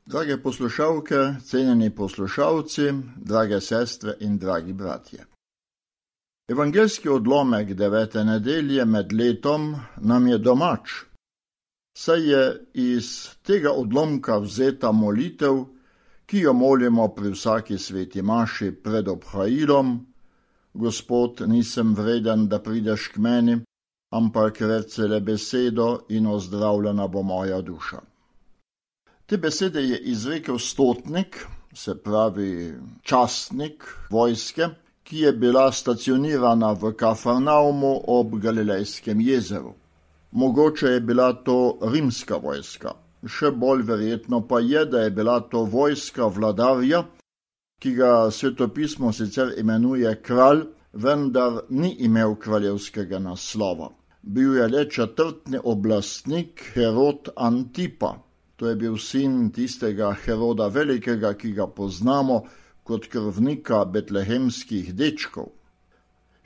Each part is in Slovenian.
Drage poslušalke, cenjeni poslušalci, drage sestre in dragi bratje. Evangeljski odlomek 9. nedelje med letom nam je domač, saj je iz tega odlomka vzeta molitev, ki jo molimo pri vsaki sveti maši pred obhajilom: Gospod, nisem vreden, da prideš k meni, ampak reci le besedo in ozdravljena bo moja duša. Te besede je izrekel stotnik, se pravi častnik vojske, ki je bila stacionirana v Kafarnaumu ob Galilejskem jezeru. Mogoče je bila to rimska vojska, še bolj verjetno pa je, da je bila to vojska vladarja, ki ga svetopismo sicer imenuje kralj, vendar ni imel kraljevskega naslova. Bil je le četrtni oblastnik Herod Antipa. To je bil sin tistega Heroda Velikega, ki ga poznamo kot krvnika betlehemskih dečkov.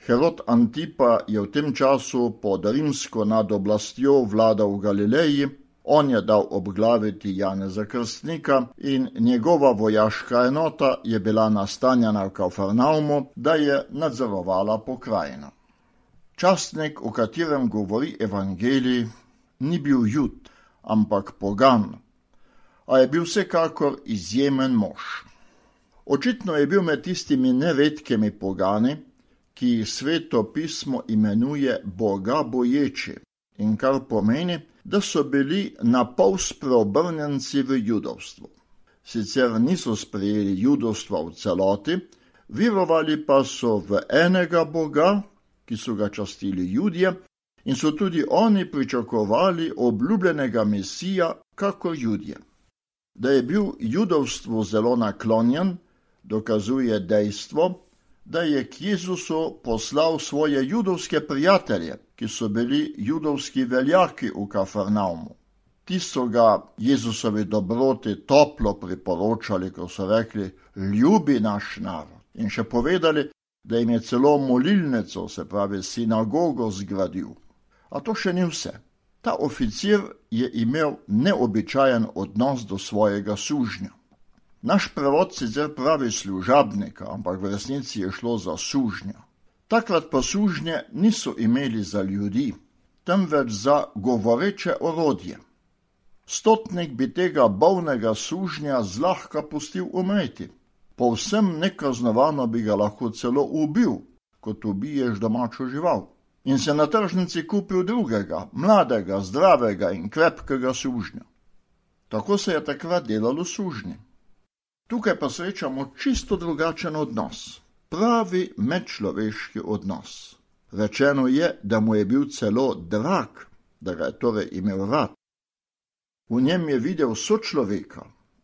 Herod Antipa je v tem času pod rimsko nadoblastjo vladal v Galileji, on je dal obglaviti Janeza Krstnika in njegova vojaška enota je bila nastanjena v Kafarnaumu, da je nadzorovala pokrajino. Častnik, o katerem govori evangelij, ni bil Jud, ampak pogan, a je bil vsekakor izjemen mož. Očitno je bil med tistimi neredkimi pogani, ki jih sveto pismo imenuje bogaboječi, in kar pomeni, da so bili napol spreobrnjenci v judovstvo. Sicer niso sprejeli judovstva v celoti, verovali pa so v enega Boga, ki so ga častili Judje, in so tudi oni pričakovali obljubljenega Mesija kakor Judje. Da je bil judovstvu zelo naklonjen, dokazuje dejstvo, da je k Jezusu poslal svoje judovske prijatelje, ki so bili judovski veljaki v Kafarnaumu. Ti so ga Jezusovi dobroti toplo priporočali, ko so rekli: ljubi naš narod. In še povedali, da jim je celo molilnico, se pravi sinagogo, zgradil. A to še ni vse. Ta oficir je imel neobičajen odnos do svojega sužnja. Naš prevod sicer pravi služabnika, ampak v resnici je šlo za sužnja. Takrat pa sužnje niso imeli za ljudi, temveč za govoreče orodje. Stotnik bi tega bolnega sužnja zlahka pustil umreti. Povsem nekaznovano bi ga lahko celo ubil, kot ubiješ domačo žival. In se na tržnici kupil drugega, mladega, zdravega in krepkega sužnja. Tako se je takrat delalo sužnji. Tukaj pa srečamo čisto drugačen odnos, pravi medčloveški odnos. Rečeno je, da mu je bil celo drag, da ga je torej imel rad. V njem je videl sočloveka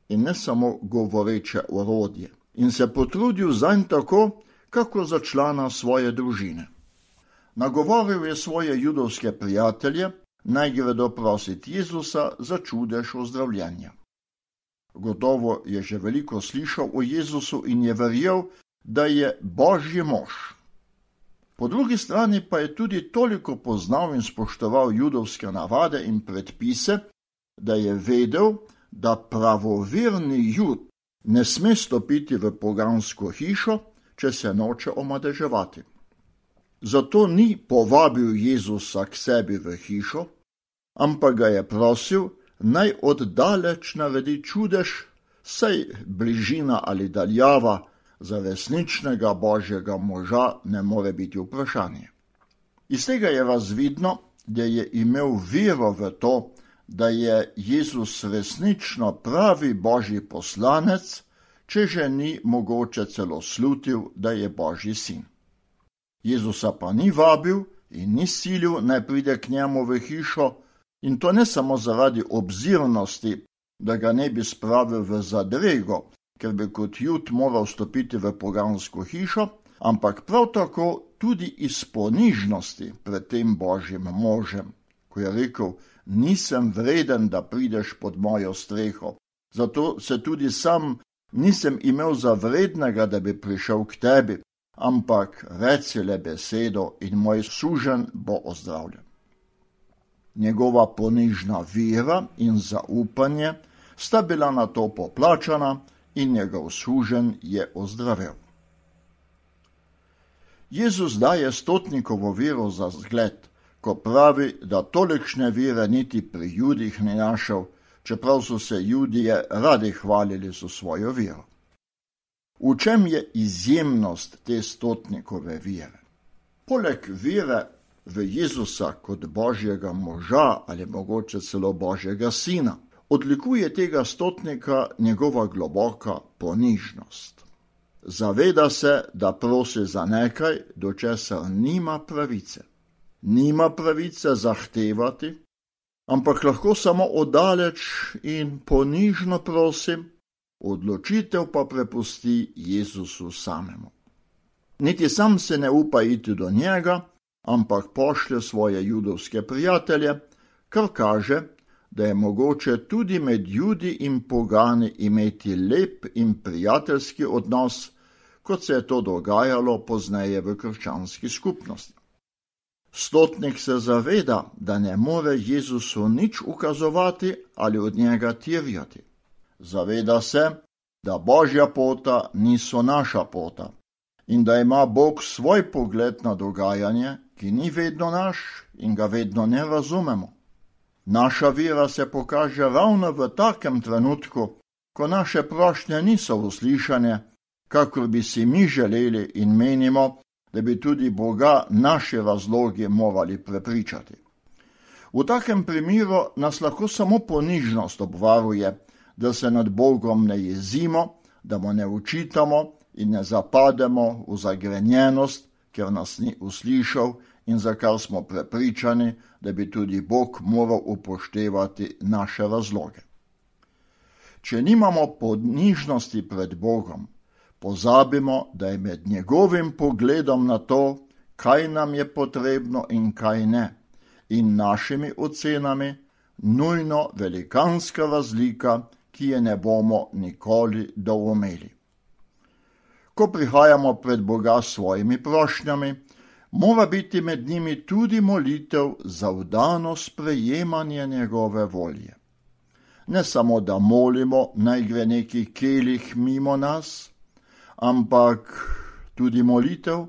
in ne samo govoreče orodje, in se potrudil zanj tako, kako za člana svoje družine. Nagovoril je svoje judovske prijatelje, naj gredo prositi Jezusa za čudež ozdravljenja. Gotovo je že veliko slišal o Jezusu in je verjel, da je Božji mož. Po drugi strani pa je tudi toliko poznal in spoštoval judovske navade in predpise, da je vedel, da pravoverni Jud ne sme stopiti v pogansko hišo, če se noče omadeževati. Zato ni povabil Jezusa k sebi v hišo, ampak ga je prosil, naj oddaleč naredi čudež, saj bližina ali daljava za resničnega Božjega moža ne more biti vprašanje. Iz tega je razvidno, da je imel vero v to, da je Jezus resnično pravi Božji poslanec, če že ni mogoče celo slutil, da je Božji sin. Jezusa pa ni vabil in ni silil, naj pride k njemu v hišo, in to ne samo zaradi obzirnosti, da ga ne bi spravil v zadrego, ker bi kot Jud moral stopiti v pogansko hišo, ampak prav tako tudi iz ponižnosti pred tem Božjim možem, ko je rekel: nisem vreden, da prideš pod mojo streho, zato se tudi sam nisem imel za vrednega, da bi prišel k tebi, ampak reci le besedo in moj suženj bo ozdravljen. Njegova ponižna vera in zaupanje sta bila na to poplačana in njegov suženj je ozdravel. Jezus daje stotnikovo vero za zgled, ko pravi, da tolikšne vere niti pri Judih ni našel, čeprav so se Judije radi hvalili za svojo vero. V čem je izjemnost te stotnikove vere? Poleg vere v Jezusa kot Božjega moža ali mogoče celo Božjega sina, odlikuje tega stotnika njegova globoka ponižnost. Zaveda se, da prosi za nekaj, do česar nima pravice. Nima pravice zahtevati, ampak lahko samo oddaleč in ponižno prosi, odločitev pa prepusti Jezusu samemu. Niti sam se ne upa iti do njega, ampak pošlje svoje judovske prijatelje, kar kaže, da je mogoče tudi med Judi in pogani imeti lep in prijateljski odnos, kot se je to dogajalo pozneje v krščanski skupnosti. Stotnik se zaveda, da ne more Jezusu nič ukazovati ali od njega terjati. Zaveda se, da Božja pota niso naša pota in da ima Bog svoj pogled na dogajanje, ki ni vedno naš in ga vedno ne razumemo. Naša vera se pokaže ravno v takem trenutku, ko naše prošnje niso uslišane, kakor bi si mi želeli in menimo, da bi tudi Boga naši razlogi morali prepričati. V takem primeru nas lahko samo ponižnost obvaruje, da se nad Bogom ne jezimo, da mu ne učitamo in ne zapademo v zagrenjenost, ker nas ni uslišal in za kar smo prepričani, da bi tudi Bog moral upoštevati naše razloge. Če nimamo ponižnosti pred Bogom, pozabimo, da je med njegovim pogledom na to, kaj nam je potrebno in kaj ne, in našimi ocenami nujno velikanska razlika, ki je ne bomo nikoli doumeli. Ko prihajamo pred Boga s svojimi prošnjami, mora biti med njimi tudi molitev za vdano sprejemanje njegove volje. Ne samo, da molimo, naj gre neki kelih mimo nas, ampak tudi molitev,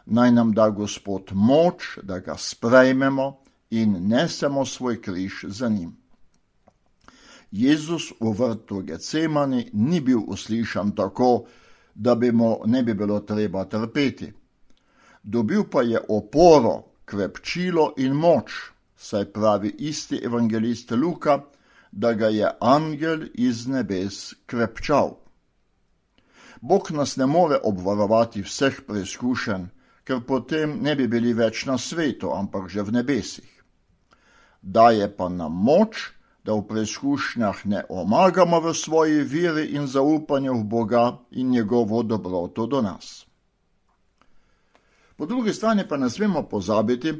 naj nam da Gospod moč, da ga sprejmemo in nesemo svoj križ za njim. Jezus v vrtu Getsemani ni bil uslišan tako, da bi mu ne bi bilo treba trpeti. Dobil pa je oporo, krepčilo in moč, saj pravi isti evangelist Luka, da ga je angel iz nebes krepčal. Bog nas ne more obvarovati vseh preizkušenj, ker potem ne bi bili več na svetu, ampak že v nebesih. Daje pa nam moč, da v preizkušnjah ne omagamo v svoji veri in zaupanju v Boga in njegovo dobroto do nas. Po drugi strani pa ne smemo pozabiti,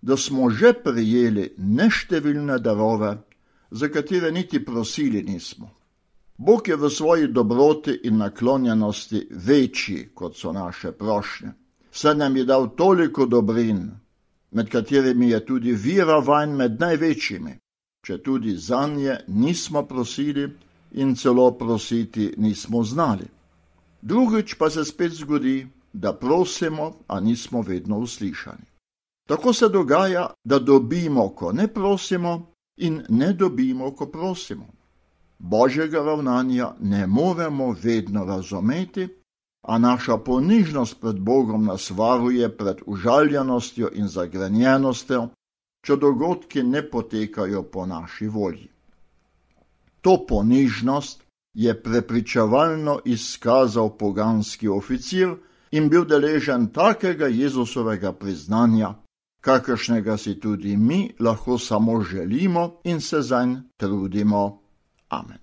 da smo že prejeli neštevilne darove, za katere niti prosili nismo. Bog je v svoji dobroti in naklonjenosti večji, kot so naše prošnje. Saj nam je dal toliko dobrin, med katerimi je tudi vera vanj med največjimi, če tudi zanje nismo prosili in celo prositi nismo znali. Drugič pa se spet zgodi, da prosimo, a nismo vedno uslišani. Tako se dogaja, da dobimo, ko ne prosimo, in ne dobimo, ko prosimo. Božjega ravnanja ne moremo vedno razumeti, a naša ponižnost pred Bogom nas varuje pred užaljenostjo in zagrenjenostjo, če dogodki ne potekajo po naši volji. To ponižnost je prepričevalno izkazal poganski oficir in bil deležen takega Jezusovega priznanja, kakršnega si tudi mi lahko samo želimo in se zanj trudimo. Amen.